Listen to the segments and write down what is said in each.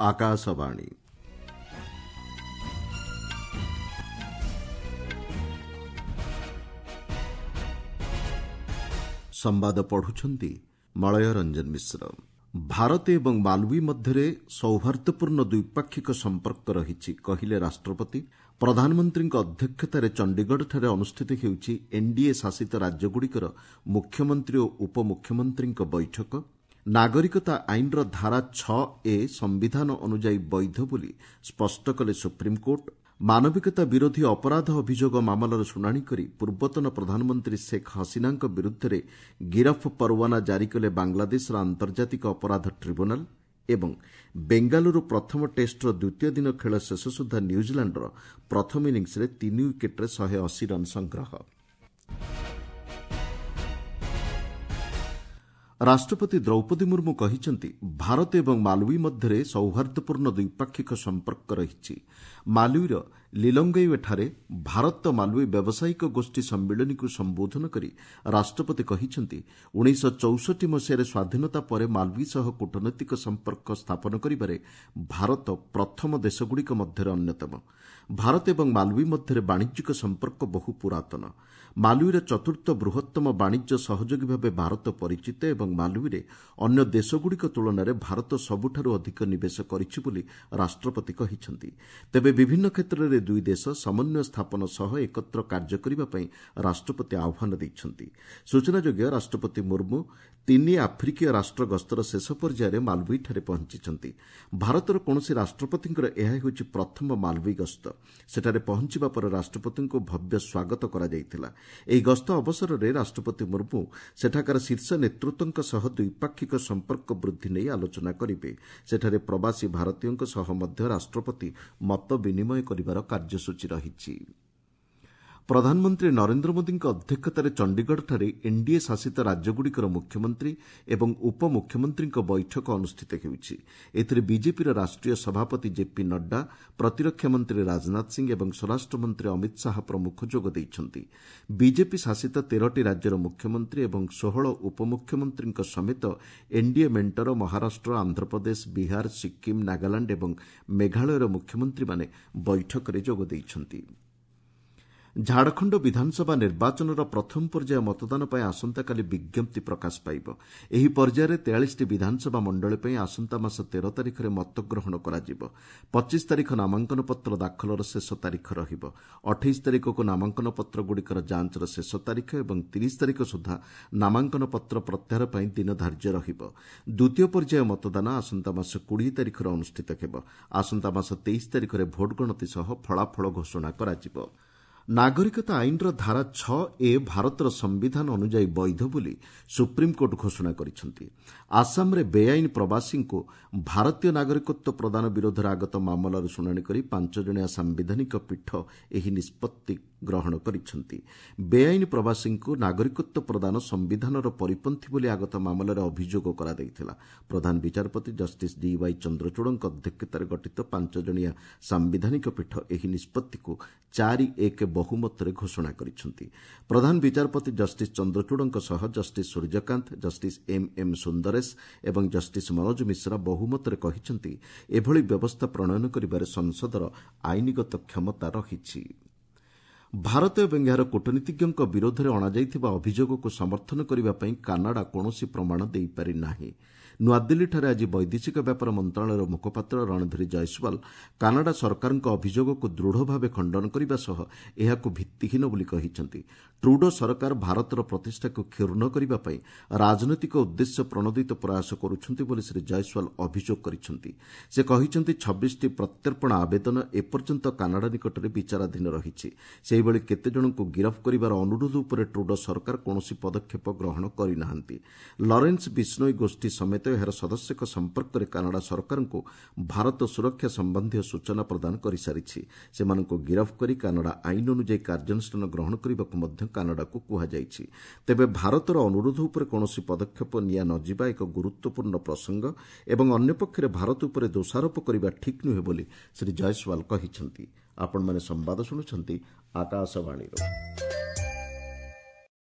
ଆକାଶବାଣୀ। ସମ୍ବାଦ ପଢୁଛନ୍ତି ମଳୟ ରଞ୍ଜନ ମିଶ୍ର। ଭାରତ ଏବଂ ମାଲୱି ମଧ୍ୟରେ ସୌହାର୍ଦ୍ଦ୍ୟପୂର୍ଣ୍ଣ ଦ୍ୱିପାକ୍ଷିକ ସମ୍ପର୍କ ରହିଛି, କହିଲେ ରାଷ୍ଟ୍ରପତି। ପ୍ରଧାନମନ୍ତ୍ରୀଙ୍କ ଅଧ୍ୟକ୍ଷତାରେ ଚଣ୍ଡିଗଡ଼ଠାରେ ଅନୁଷ୍ଠିତ ହେଉଛି ଏନ୍ଡିଏ ଶାସିତ ରାଜ୍ୟଗୁଡ଼ିକର ମୁଖ୍ୟମନ୍ତ୍ରୀ ଓ ଉପମୁଖ୍ୟମନ୍ତ୍ରୀଙ୍କ ବୈଠକ। ନାଗରିକତା ଆଇନର ଧାରା 6 ଏ ସମ୍ବିଧାନ ଅନୁଯାୟୀ ବୈଧ ବୋଲି ସ୍ପଷ୍ଟ କଲେ ସୁପ୍ରିମକୋର୍ଟ। ମାନବିକତା ବିରୋଧୀ ଅପରାଧ ଅଭିଯୋଗ ମାମଲାର ଶୁଣାଣି କରି ପୂର୍ବତନ ପ୍ରଧାନମନ୍ତ୍ରୀ ଶେଖ୍ ହସିନାଙ୍କ ବିରୁଦ୍ଧରେ ଗିରଫ ପରୱାନା ଜାରି କଲେ ବାଂଲାଦେଶର ଆନ୍ତର୍ଜାତିକ ଅପରାଧ ଟ୍ରିବ୍ୟୁନାଲ୍। ଏବଂ ବେଙ୍ଗାଲୁରୁ ପ୍ରଥମ ଟେଷ୍ଟର ଦ୍ୱିତୀୟ ଦିନ ଖେଳ ଶେଷ ସୁଦ୍ଧା ନ୍ୟୁଜିଲାଣ୍ଡର ପ୍ରଥମ ଇନିଂସରେ 3 ୱିକେଟ୍ରେ 180 ରନ୍ ସଂଗ୍ରହ। ରାଷ୍ଟ୍ରପତି ଦ୍ରୌପଦୀ ମୁର୍ମୁ କହିଛନ୍ତି, ଭାରତ ଏବଂ ମାଲୱି ମଧ୍ୟରେ ସୌହାର୍ଦ୍ଦ୍ୟପୂର୍ଣ୍ଣ ଦ୍ୱିପାକ୍ଷିକ ସମ୍ପର୍କ ରହିଛି। ମାଲୱିର ଲିଲଙ୍ଗୱେଠାରେ ଭାରତ ମାଲୱି ବ୍ୟବସାୟିକ ଗୋଷ୍ଠୀ ସମ୍ମିଳନୀକୁ ସମ୍ବୋଧନ କରି ରାଷ୍ଟ୍ରପତି କହିଛନ୍ତି, 1964 ମସିହାରେ ସ୍ୱାଧୀନତା ପରେ ମାଲୱି ସହ କୂଟନୈତିକ ସମ୍ପର୍କ ସ୍ଥାପନ କରିବାରେ ଭାରତ ପ୍ରଥମ ଦେଶଗୁଡ଼ିକ ମଧ୍ୟରେ ଅନ୍ୟତମ। ଭାରତ ଏବଂ ମାଲୱି ମଧ୍ୟରେ ବାଣିଜ୍ୟିକ ସମ୍ପର୍କ ବହୁ ପୁରାତନ। ମାଲୱିର ଚତୁର୍ଥ ବୃହତ୍ତମ ବାଣିଜ୍ୟ ସହଯୋଗୀ ଭାବେ ଭାରତ ପରିଚିତ ଏବଂ ମାଲୱିରେ ଅନ୍ୟ ଦେଶଗୁଡ଼ିକ ତୁଳନାରେ ଭାରତ ସବୁଠାରୁ ଅଧିକ ନିବେଶ କରିଛି ବୋଲି ରାଷ୍ଟ୍ରପତି କହିଛନ୍ତି। ତେବେ ବିଭିନ୍ନ କ୍ଷେତ୍ରରେ ଦୁଇ ଦେଶ ସମନ୍ୱୟ ସ୍ଥାପନ ସହ ଏକତ୍ର କାର୍ଯ୍ୟ କରିବା ପାଇଁ ରାଷ୍ଟ୍ରପତି ଆହ୍ୱାନ ଦେଇଛନ୍ତି। ସୂଚନାଯୋଗ୍ୟ, ରାଷ୍ଟ୍ରପତି ମୁର୍ମୁ ତିନି ଆଫ୍ରିକୀୟ ରାଷ୍ଟ୍ର ଗସ୍ତର ଶେଷ ପର୍ଯ୍ୟାୟରେ ମାଲୱିଠାରେ ପହଞ୍ଚିଛନ୍ତି। ଭାରତର କୌଣସି ରାଷ୍ଟ୍ରପତିଙ୍କର ଏହା ହେଉଛି ପ୍ରଥମ ମାଲୱି ଗସ୍ତ। ସେଠାରେ ପହଞ୍ଚିବା ପରେ ରାଷ୍ଟ୍ରପତିଙ୍କୁ ଭବ୍ୟ ସ୍ୱାଗତ କରାଯାଇଥିଲା। ଏହି ଗସ୍ତ ଅବସରରେ ରାଷ୍ଟ୍ରପତି ମୁର୍ମୁ ସେଠାକାର ଶୀର୍ଷ ନେତୃତ୍ୱଙ୍କ ସହ ଦ୍ୱିପାକ୍ଷିକ ସମ୍ପର୍କ ବୃଦ୍ଧି ନେଇ ଆଲୋଚନା କରିବେ। ସେଠାରେ ପ୍ରବାସୀ ଭାରତୀୟଙ୍କ ସହ ମଧ୍ୟ ରାଷ୍ଟ୍ରପତି ମତ ବିନିମୟ କରିବାର କାର୍ଯ୍ୟସୂଚୀ ରହିଛି। ପ୍ରଧାନମନ୍ତ୍ରୀ ନରେନ୍ଦ୍ର ମୋଦିଙ୍କ ଅଧ୍ୟକ୍ଷତାରେ ଚଣ୍ଡିଗଡ଼ଠାରେ ଏନ୍ଡିଏ ଶାସିତ ରାଜ୍ୟଗୁଡ଼ିକର ମୁଖ୍ୟମନ୍ତ୍ରୀ ଏବଂ ଉପମୁଖ୍ୟମନ୍ତ୍ରୀଙ୍କ ବୈଠକ ଅନୁଷ୍ଠିତ ହେଉଛି। ଏଥିରେ ବିଜେପିର ରାଷ୍ଟ୍ରୀୟ ସଭାପତି ଜେପି ନଡ୍ଡା, ପ୍ରତିରକ୍ଷା ମନ୍ତ୍ରୀ ରାଜନାଥ ସିଂ ଏବଂ ସ୍ୱରାଷ୍ଟ୍ରମନ୍ତ୍ରୀ ଅମିତ ଶାହା ପ୍ରମୁଖ ଯୋଗ ଦେଇଛନ୍ତି। ବିଜେପି ଶାସିତ 13ଟି ରାଜ୍ୟର ମୁଖ୍ୟମନ୍ତ୍ରୀ ଏବଂ 16 ଉପମୁଖ୍ୟମନ୍ତ୍ରୀଙ୍କ ସମେତ ଏନ୍ଡିଏ ମେଣ୍ଟର ମହାରାଷ୍ଟ୍ର, ଆନ୍ଧ୍ରପ୍ରଦେଶ, ବିହାର, ସିକ୍କିମ୍, ନାଗାଲାଣ୍ଡ ଏବଂ ମେଘାଳୟର ମୁଖ୍ୟମନ୍ତ୍ରୀମାନେ ବୈଠକରେ ଯୋଗ ଦେଇଛନ୍ତି। ଝାଡ଼ଖଣ୍ଡ ବିଧାନସଭା ନିର୍ବାଚନର ପ୍ରଥମ ପର୍ଯ୍ୟାୟ ମତଦାନ ପାଇଁ ଆସନ୍ତାକାଲି ବିଜ୍ଞପ୍ତି ପ୍ରକାଶ ପାଇବ। ଏହି ପର୍ଯ୍ୟାୟରେ 43ଟି ବିଧାନସଭା ମଣ୍ଡଳୀ ପାଇଁ ଆସନ୍ତା ମାସ 13 ତାରିଖରେ ମତଗ୍ରହଣ କରାଯିବ। 25 ତାରିଖ ନାମାଙ୍କନପତ୍ର ଦାଖଲର ଶେଷ ତାରିଖ ରହିବ। 28 ତାରିଖକୁ ନାମାଙ୍କନପତ୍ରଗୁଡ଼ିକର ଯାଞ୍ଚର ଶେଷ ତାରିଖ ଏବଂ 30 ତାରିଖ ସୁଦ୍ଧା ନାମାଙ୍କନପତ୍ର ପ୍ରତ୍ୟାହାର ପାଇଁ ଦିନ ଧାର୍ଯ୍ୟ ରହିବ। ଦ୍ୱିତୀୟ ପର୍ଯ୍ୟାୟ ମତଦାନ ଆସନ୍ତା ମାସ 20 ତାରିଖରେ ଅନୁଷ୍ଠିତ ହେବ। ଆସନ୍ତା ମାସ 23 ତାରିଖରେ ଭୋଟ୍ ଗଣତି ସହ ଫଳାଫଳ ଘୋଷଣା କରାଯିବ। ନାଗରିକତା ଆଇନର ଧାରା 6 ଏ ଭାରତର ସମ୍ବିଧାନ ଅନୁଯାୟୀ ବୈଧ ବୋଲି ସୁପ୍ରିମକୋର୍ଟ ଘୋଷଣା କରିଛନ୍ତି। ଆସାମରେ ବେଆଇନ ପ୍ରବାସୀଙ୍କୁ ଭାରତୀୟ ନାଗରିକତ୍ୱ ପ୍ରଦାନ ବିରୋଧରେ ଆଗତ ମାମଲାର ଶୁଣାଣି କରି 5 ଜଣିଆ ସାମ୍ବିଧାନିକ ପୀଠ ଏହି ନିଷ୍ପତ୍ତି ଗ୍ରହଣ କରିଛନ୍ତି। ବେଆଇନ ପ୍ରବାସୀଙ୍କୁ ନାଗରିକତ୍ୱ ପ୍ରଦାନ ସମ୍ବିଧାନର ପରିପନ୍ଥୀ ବୋଲି ଆଗତ ମାମଲାରେ ଅଭିଯୋଗ କରାଯାଇଥିଲା। ପ୍ରଧାନ ବିଚାରପତି ଜଷ୍ଟିସ୍ ଡିୱାଇ ଚନ୍ଦ୍ରଚୂଡ଼ଙ୍କ ଅଧ୍ୟକ୍ଷତାରେ ଗଠିତ 5 ଜଣିଆ ସାମ୍ବିଧାନିକ ପୀଠ ଏହି ନିଷ୍ପତ୍ତିକୁ 4-1 ବହୁମତରେ ଘୋଷଣା କରିଛନ୍ତି। ପ୍ରଧାନ ବିଚାରପତି ଜଷ୍ଟିସ୍ ଚନ୍ଦ୍ରଚୂଡ଼ଙ୍କ ସହ justice Suryakant, justice M M Sundaresh ଏବଂ ଜଷ୍ଟିସ୍ ମନୋଜ ମିଶ୍ରା ବହୁମତରେ କହିଛନ୍ତି, ଏଭଳି ବ୍ୟବସ୍ଥା ପ୍ରଣୟନ କରିବାରେ ସଂସଦର ଆଇନଗତ କ୍ଷମତା ରହିଛି। ଭାରତ ଏବଂ ଏହାର କୂଟନୀତିଜ୍ଞଙ୍କ ବିରୋଧରେ ଅଣାଯାଇଥିବା ଅଭିଯୋଗକୁ ସମର୍ଥନ କରିବା ପାଇଁ କାନାଡା କୌଣସି ପ୍ରମାଣ ଦେଇପାରି ନାହିଁ। ନୂଆଦିଲ୍ଲୀଠାରେ ଆଜି ବୈଦେଶିକ ବ୍ୟାପାର ମନ୍ତ୍ରଣାଳୟର ମୁଖପାତ୍ର ରଣଧୀର ଜୟସ୍ୱାଲ କାନାଡା ସରକାରଙ୍କ ଅଭିଯୋଗକୁ ଦୃଢ଼ ଭାବେ ଖଣ୍ଡନ କରିବା ସହ ଏହାକୁ ଭିତ୍ତିହୀନ ବୋଲି କହିଛନ୍ତି। ଟ୍ରୁଡୋ ସରକାର ଭାରତର ପ୍ରତିଷ୍ଠାକୁ କ୍ଷୁଣ୍ଣ କରିବା ପାଇଁ ରାଜନୈତିକ ଉଦ୍ଦେଶ୍ୟ ପ୍ରଣୋଦିତ ପ୍ରୟାସ କରୁଛନ୍ତି ବୋଲି ଶ୍ରୀ ଜୟସ୍ୱାଲ ଅଭିଯୋଗ କରିଛନ୍ତି। ସେ କହିଛନ୍ତି, 26ଟି ପ୍ରତ୍ୟର୍ପଣ ଆବେଦନ ଏପର୍ଯ୍ୟନ୍ତ କାନାଡା ନିକଟରେ ବିଚାରାଧୀନ ରହିଛି। ସେହିଭଳି କେତେଜଣଙ୍କୁ ଗିରଫ କରିବାର ଅନୁରୋଧ ଉପରେ ଟ୍ରୁଡୋ ସରକାର କୌଣସି ପଦକ୍ଷେପ ଗ୍ରହଣ କରିନାହାନ୍ତି। ଲରେନ୍ସ ବିଷ୍ଣୋଇ ଗୋଷ୍ଠୀ ସମେତ ଏହାର ସଦସ୍ୟଙ୍କ ସମ୍ପର୍କରେ କାନାଡା ସରକାରଙ୍କୁ ଭାରତ ସୁରକ୍ଷା ସମ୍ବନ୍ଧୀୟ ସୂଚନା ପ୍ରଦାନ କରିସାରିଛି। ସେମାନଙ୍କୁ ଗିରଫ କରି କାନାଡା ଆଇନ ଅନୁଯାୟୀ କାର୍ଯ୍ୟାନୁଷ୍ଠାନ ଗ୍ରହଣ କରିବାକୁ ମଧ୍ୟ କାନାଡାକୁ କୁହାଯାଇଛି। ତେବେ ଭାରତର ଅନୁରୋଧ ଉପରେ କୌଣସି ପଦକ୍ଷେପ ନିଆ ନ ଯିବା ଏକ ଗୁରୁତ୍ୱପୂର୍ଣ୍ଣ ପ୍ରସଙ୍ଗ ଏବଂ ଅନ୍ୟପକ୍ଷରେ ଭାରତ ଉପରେ ଦୋଷାରୋପ କରିବା ଠିକ୍ ନୁହେଁ ବୋଲି ଶ୍ରୀ ଜୟସ୍ୱାଲ କହିଛନ୍ତି। ଆପଣମାନେ ସମ୍ବାଦ ଶୁଣୁଛନ୍ତି ଆକାଶବାଣୀରୁ।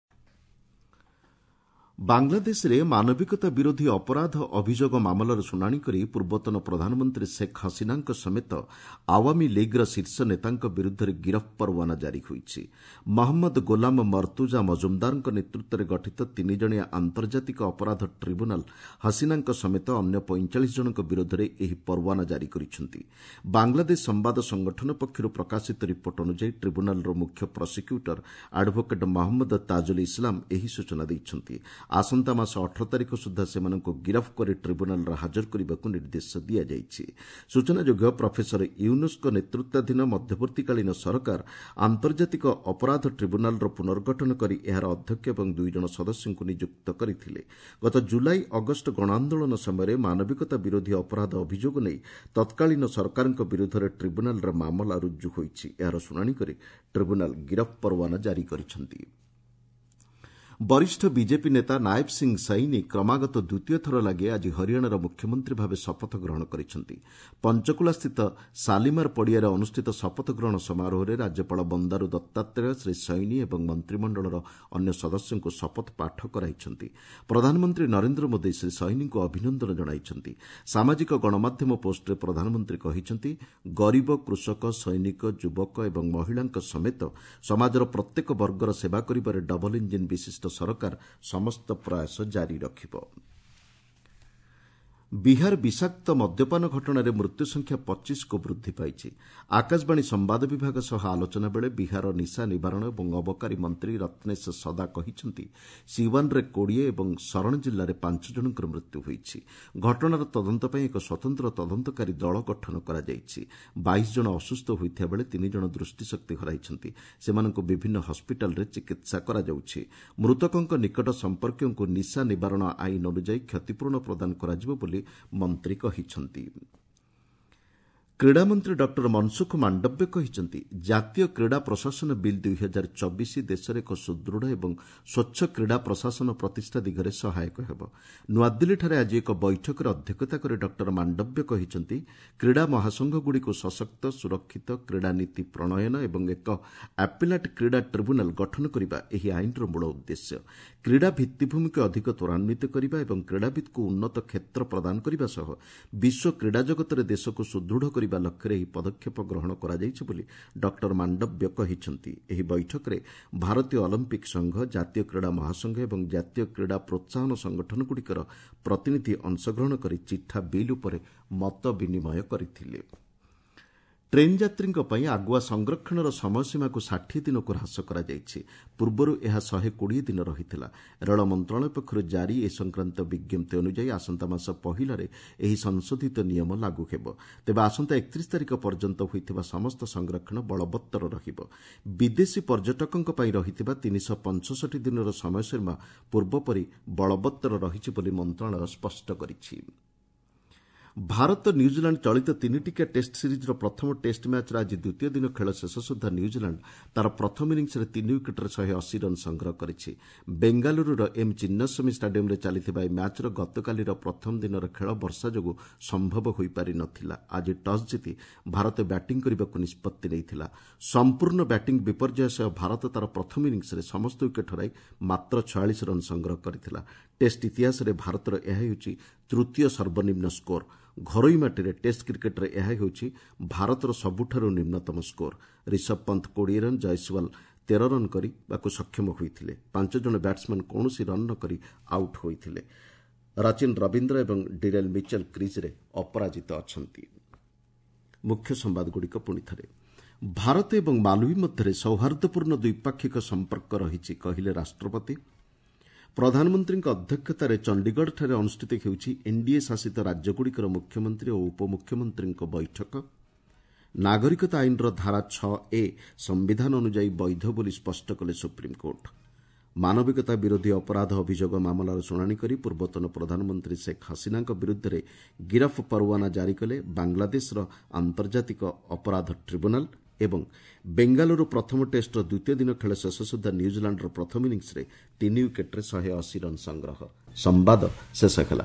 ବାଂଲାଦେଶରେ ମାନବିକତା ବିରୋଧୀ ଅପରାଧ ଅଭିଯୋଗ ମାମଲାର ଶୁଣାଣି କରି ପୂର୍ବତନ ପ୍ରଧାନମନ୍ତ୍ରୀ ଶେଖ୍ ହସିନାଙ୍କ ସମେତ ଆୱାମୀ ଲିଗ୍ର ଶୀର୍ଷ ନେତାଙ୍କ ବିରୁଦ୍ଧରେ ଗିରଫ ପରୱାନା ଜାରି ହୋଇଛି। ମହମ୍ମଦ ଗୋଲାମ ମର୍ତ୍ତୁଜା ମଜୁମଦାରଙ୍କ ନେତୃତ୍ୱରେ ଗଠିତ ତିନିଜଣିଆ ଆନ୍ତର୍ଜାତିକ ଅପରାଧ ଟ୍ରିବ୍ୟୁନାଲ ହସିନାଙ୍କ ସମେତ ଅନ୍ୟ 45 ଜଣଙ୍କ ବିରୋଧରେ ଏହି ପରୱାନା ଜାରି କରିଛନ୍ତି। ବାଂଲାଦେଶ ସମ୍ବାଦ ସଂଗଠନ ପକ୍ଷରୁ ପ୍ରକାଶିତ ରିପୋର୍ଟ ଅନୁଯାୟୀ ଟ୍ରିବ୍ୟୁନାଲର ମୁଖ୍ୟ ପ୍ରସିକ୍ୟୁଟର ଆଡଭୋକେଟ୍ ମହମ୍ମଦ ତାଜୁଲ ଇସଲାମ ଏହି ସୂଚନା ଦେଇଛନ୍ତି। ଆସନ୍ତା ମାସ 18 ତାରିଖ ସୁଦ୍ଧା ସେମାନଙ୍କୁ ଗିରଫ କରି ଟ୍ରିବ୍ୟୁନାଲରେ ହାଜର କରିବାକୁ ନିର୍ଦ୍ଦେଶ ଦିଆଯାଇଛି। ସୂଚନାଯୋଗ୍ୟ, ପ୍ରଫେସର ୟୁନୁସ୍ଙ୍କ ନେତୃତ୍ୱାଧୀନ ମଧ୍ୟବର୍ତ୍ତୀକାଳୀନ ସରକାର ଆନ୍ତର୍ଜାତିକ ଅପରାଧ ଟ୍ରିବ୍ୟୁନାଲର ପୁନର୍ଗଠନ କରି ଏହାର ଅଧ୍ୟକ୍ଷ ଏବଂ 2 ଜଣ ସଦସ୍ୟଙ୍କୁ ନିଯୁକ୍ତ କରିଥିଲେ। ଗତ ଜୁଲାଇ ଅଗଷ୍ଟ ଗଣଆନ୍ଦୋଳନ ସମୟରେ ମାନବିକତା ବିରୋଧୀ ଅପରାଧ ଅଭିଯୋଗ ନେଇ ତତ୍କାଳୀନ ସରକାରଙ୍କ ବିରୁଦ୍ଧରେ ଟ୍ରିବ୍ୟୁନାଲରେ ମାମଲା ରୁଜୁ ହୋଇଛି। ଏହାର ଶୁଣାଣି କରି ଟ୍ରିବ୍ୟୁନାଲ ଗିରଫ ପରୱାନା ଜାରି କରିଛନ୍ତି। ବରିଷ୍ଠ ବିଜେପି ନେତା ନାୟବ ସିଂ ସୈନି କ୍ରମାଗତ ଦ୍ୱିତୀୟ ଥର ଲାଗି ଆଜି ହରିୟାଣାର ମୁଖ୍ୟମନ୍ତ୍ରୀ ଭାବେ ଶପଥ ଗ୍ରହଣ କରିଛନ୍ତି। ପଞ୍ଚକୁଲାସ୍ଥିତ ଶାଲିମାର ପଡ଼ିଆରେ ଅନୁଷ୍ଠିତ ଶପଥ ଗ୍ରହଣ ସମାରୋହରେ ରାଜ୍ୟପାଳ ବନ୍ଦାରୁ ଦତ୍ତାତ୍ରେୟ ଶ୍ରୀ ସୈନି ଏବଂ ମନ୍ତ୍ରିମଣ୍ଡଳର ଅନ୍ୟ ସଦସ୍ୟଙ୍କୁ ଶପଥ ପାଠ କରାଇଛନ୍ତି। ପ୍ରଧାନମନ୍ତ୍ରୀ ନରେନ୍ଦ୍ର ମୋଦି ଶ୍ରୀ ସୈନିଙ୍କୁ ଅଭିନନ୍ଦନ ଜଣାଇଛନ୍ତି। ସାମାଜିକ ଗଣମାଧ୍ୟମ ପୋଷ୍ଟରେ ପ୍ରଧାନମନ୍ତ୍ରୀ କହିଛନ୍ତି, ଗରିବ, କୃଷକ, ସୈନିକ, ଯୁବକ ଏବଂ ମହିଳାଙ୍କ ସମେତ ସମାଜର ପ୍ରତ୍ୟେକ ବର୍ଗର ସେବା କରିବାରେ ଡବଲ ଇଞ୍ଜିନ୍ ବିଶିଷ୍ଟ ସରକାର ସମସ୍ତ ପ୍ରୟାସ ଜାରି ରଖିବ। ବିହାର ବିଷାକ୍ତ ମଦ୍ୟପାନ ଘଟଣାରେ ମୃତ୍ୟୁ ସଂଖ୍ୟା 25କୁ ବୃଦ୍ଧି ପାଇଛି। ଆକାଶବାଣୀ ସମ୍ବାଦ ବିଭାଗ ସହ ଆଲୋଚନା ବେଳେ ବିହାର ନିଶା ନିବାରଣ ଏବଂ ଅବକାରୀ ମନ୍ତ୍ରୀ ରତ୍ନେଶ ସଦା କହିଛନ୍ତି, ସିୱାନରେ 20 ଏବଂ ଶରଣ ଜିଲ୍ଲାରେ 5 ଜଣଙ୍କର ମୃତ୍ୟୁ ହୋଇଛି। ଘଟଣାର ତଦନ୍ତ ପାଇଁ ଏକ ସ୍ୱତନ୍ତ୍ର ତଦନ୍ତକାରୀ ଦଳ ଗଠନ କରାଯାଇଛି। 22 ଜଣ ଅସୁସ୍ଥ ହୋଇଥିବା ବେଳେ 3 ଜଣ ଦୃଷ୍ଟିଶକ୍ତି ହରାଇଛନ୍ତି। ସେମାନଙ୍କୁ ବିଭିନ୍ନ ହସ୍ପିଟାଲରେ ଚିକିତ୍ସା କରାଯାଉଛି। ମୃତକଙ୍କ ନିକଟ ସମ୍ପର୍କୀୟଙ୍କୁ ନିଶା ନିବାରଣ ଆଇନ ଅନୁଯାୟୀ କ୍ଷତିପୂରଣ ପ୍ରଦାନ କରାଯିବ ବୋଲି ମନ୍ତ୍ରୀ କହିଛନ୍ତି। କ୍ରୀଡ଼ାମନ୍ତ୍ରୀ ଡକ୍ଟର ମନସୁଖ ମାଣ୍ଡବ୍ୟ କହିଛନ୍ତି, ଜାତୀୟ କ୍ରୀଡ଼ା ପ୍ରଶାସନ ବିଲ୍ 2024 ଦେଶରେ ଏକ ସୁଦୃଢ଼ ଏବଂ ସ୍ୱଚ୍ଛ କ୍ରୀଡ଼ା ପ୍ରଶାସନ ପ୍ରତିଷ୍ଠା ଦିଗରେ ସହାୟକ ହେବ। ନୂଆଦିଲ୍ଲୀଠାରେ ଆଜି ଏକ ବୈଠକରେ ଅଧ୍ୟକ୍ଷତା କରି ଡକ୍ଟର ମାଣ୍ଡବ୍ୟ କହିଛନ୍ତି, କ୍ରୀଡ଼ା ମହାସଂଘଗୁଡ଼ିକୁ ସଶକ୍ତ, ସୁରକ୍ଷିତ କ୍ରୀଡ଼ା ନୀତି ପ୍ରଣୟନ ଏବଂ ଏକ ଆପିଲାଟ୍ କ୍ରୀଡ଼ା ଟ୍ରିବ୍ୟୁନାଲ ଗଠନ କରିବା ଏହି ଆଇନର ମୂଳ ଉଦ୍ଦେଶ୍ୟ। କ୍ରୀଡ଼ା ଭିତ୍ତିଭୂମିକୁ ଅଧିକ ତ୍ୱରାନ୍ୱିତ କରିବା ଏବଂ କ୍ରୀଡ଼ାବିତ୍କୁ ଉନ୍ନତ କ୍ଷେତ୍ର ପ୍ରଦାନ କରିବା ସହ ବିଶ୍ୱ କ୍ରୀଡ଼ା ଜଗତରେ ଦେଶକୁ ସୁଦୃଢ଼ କରିବା ଲକ୍ଷ୍ୟରେ ଏହି ପଦକ୍ଷେପ ଗ୍ରହଣ କରାଯାଇଛି ବୋଲି ଡକ୍ଟର ମାଣ୍ଡବ୍ୟ କହିଛନ୍ତି। ଏହି ବୈଠକରେ ଭାରତୀୟ ଅଲିମ୍ପିକ୍ ସଂଘ, ଜାତୀୟ କ୍ରୀଡ଼ା ମହାସଂଘ ଏବଂ ଜାତୀୟ କ୍ରୀଡ଼ା ପ୍ରୋତ୍ସାହନ ସଂଗଠନଗୁଡ଼ିକର ପ୍ରତିନିଧି ଅଂଶଗ୍ରହଣ କରି ଚିଠା ବିଲ୍ ଉପରେ ମତ ବିନିମୟ କରିଥିଲେ। ଟ୍ରେନ୍ ଯାତ୍ରୀଙ୍କ ପାଇଁ ଆଗୁଆ ସଂରକ୍ଷଣର ସମୟସୀମାକୁ 60 ଦିନକୁ ହ୍ରାସ କରାଯାଇଛି। ପୂର୍ବରୁ ଏହା 120 ଦିନ ରହିଥିଲା। ରେଳ ମନ୍ତ୍ରଣାଳୟ ପକ୍ଷରୁ ଜାରି ଏ ସଂକ୍ରାନ୍ତ ବିଜ୍ଞପ୍ତି ଅନୁଯାୟୀ ଆସନ୍ତା ମାସ 1ରେ ଏହି ସଂଶୋଧିତ ନିୟମ ଲାଗୁ ହେବ। ତେବେ ଆସନ୍ତା 31 ତାରିଖ ପର୍ଯ୍ୟନ୍ତ ହୋଇଥିବା ସମସ୍ତ ସଂରକ୍ଷଣ ବଳବତ୍ତର ରହିବ। ବିଦେଶୀ ପର୍ଯ୍ୟଟକଙ୍କ ପାଇଁ ରହିଥିବା 365 ଦିନର ସମୟସୀମା ପୂର୍ବପରି ବଳବତ୍ତର ରହିଛି ବୋଲି ମନ୍ତ୍ରଣାଳୟ ସ୍ପଷ୍ଟ କରିଛି। ଭାରତ ନ୍ୟୁଜିଲାଣ୍ଡ ଚଳିତ 3ଟିକିଆ ଟେଷ୍ଟ ସିରିଜ୍ର ପ୍ରଥମ ଟେଷ୍ଟ ମ୍ୟାଚ୍ର ଆଜି ଦ୍ୱିତୀୟ ଦିନ ଖେଳ ଶେଷ ସୁଦ୍ଧା ନ୍ୟୁଜିଲାଣ୍ଡ ତା'ର ପ୍ରଥମ ଇନିଂସରେ 3 ୱିକେଟ୍ରେ 180 ରନ୍ ସଂଗ୍ରହ କରିଛି। ବେଙ୍ଗାଲୁରୁର ଏମ୍ ଚିନ୍ନାସ୍ୱାମୀ ଷ୍ଟାଡିୟମ୍ରେ ଚାଲିଥିବା ଏହି ମ୍ୟାଚ୍ର ଗତକାଲିର ପ୍ରଥମ ଦିନର ଖେଳ ବର୍ଷା ଯୋଗୁଁ ସମ୍ଭବ ହୋଇପାରି ନ ଥିଲା। ଆଜି ଟସ୍ ଜିତି ଭାରତ ବ୍ୟାଟିଂ କରିବାକୁ ନିଷ୍ପତ୍ତି ନେଇଥିଲା। ସମ୍ପୂର୍ଣ୍ଣ ବ୍ୟାଟିଂ ବିପର୍ଯ୍ୟୟ ସହ ଭାରତ ତା'ର ପ୍ରଥମ ଇନିଂସରେ ସମସ୍ତ ୱିକେଟ୍ ହରାଇ ମାତ୍ର 46 ରନ୍ ସଂଗ୍ରହ କରିଥିଲା। ଟେଷ୍ଟ ଇତିହାସରେ ଭାରତର ଏହା ହେଉଛି ତୃତୀୟ ସର୍ବନିମ୍ନ ସ୍କୋର। ଘରୋଇ ମାଟିରେ ଟେଷ୍ଟ କ୍ରିକେଟ୍ରେ ଏହା ହେଉଛି ଭାରତର ସବୁଠାରୁ ନିମ୍ନତମ score. Rishabh Pant 20 run, Jaiswal 13 run କରିବାକୁ ସକ୍ଷମ ହୋଇଥିଲେ। 5 ଜଣ ବ୍ୟାଟ୍ସମ୍ୟାନ୍ କୌଣସି ରନ୍ ନ କରି ଆଉଟ୍ ହୋଇଥିଲେ। ରଚିନ୍ ରବୀନ୍ଦ୍ର ଏବଂ ଡିରେଲ୍ ମିଚେଲ କ୍ରିଜ୍ରେ ଅପରାଜିତ ଅଛନ୍ତି। ମୁଖ୍ୟ ସମ୍ବାଦଗୁଡ଼ିକ ପୁଣି ଥରେ। ଭାରତ ଏବଂ ମାଲୱି ମଧ୍ୟରେ ସୌହାର୍ଦ୍ଦ୍ୟପୂର୍ଣ୍ଣ ଦ୍ୱିପାକ୍ଷିକ ସମ୍ପର୍କ ରହିଛି, କହିଲେ ରାଷ୍ଟ୍ରପତି। ପ୍ରଧାନମନ୍ତ୍ରୀଙ୍କ ଅଧ୍ୟକ୍ଷତାରେ ଚଣ୍ଡିଗଡ଼ଠାରେ ଅନୁଷ୍ଠିତ ହେଉଛି ଏନ୍ଡିଏ ଶାସିତ ରାଜ୍ୟଗୁଡ଼ିକର ମୁଖ୍ୟମନ୍ତ୍ରୀ ଓ ଉପମୁଖ୍ୟମନ୍ତ୍ରୀଙ୍କ ବୈଠକ। ନାଗରିକତା ଆଇନର ଧାରା 6A ସମ୍ବିଧାନ ଅନୁଯାୟୀ ବୈଧ ବୋଲି ସ୍ପଷ୍ଟ କଲେ ସୁପ୍ରିମକୋର୍ଟ। ମାନବିକତା ବିରୋଧୀ ଅପରାଧ ଅଭିଯୋଗ ମାମଲାର ଶୁଣାଣି କରି ପୂର୍ବତନ ପ୍ରଧାନମନ୍ତ୍ରୀ ଶେଖ୍ ହସିନାଙ୍କ ବିରୁଦ୍ଧରେ ଗିରଫ ପରୱାନା ଜାରି କଲେ ବାଂଲାଦେଶର ଆନ୍ତର୍ଜାତିକ ଅପରାଧ ଟ୍ରିବ୍ୟୁନାଲ। ଏବଂ ବେଙ୍ଗାଲୁରୁ ପ୍ରଥମ ଟେଷ୍ଟର ଦ୍ୱିତୀୟ ଦିନ ଖେଳ ଶେଷ ସୁଦ୍ଧା ନ୍ୟୁଜିଲାଣ୍ଡର ପ୍ରଥମ ଇନିଂସରେ 3 ୱିକେଟ୍ରେ 180 ରନ୍ ସଂଗ୍ରହ। ସମ୍ବାଦ ଶେଷ ହେଲା।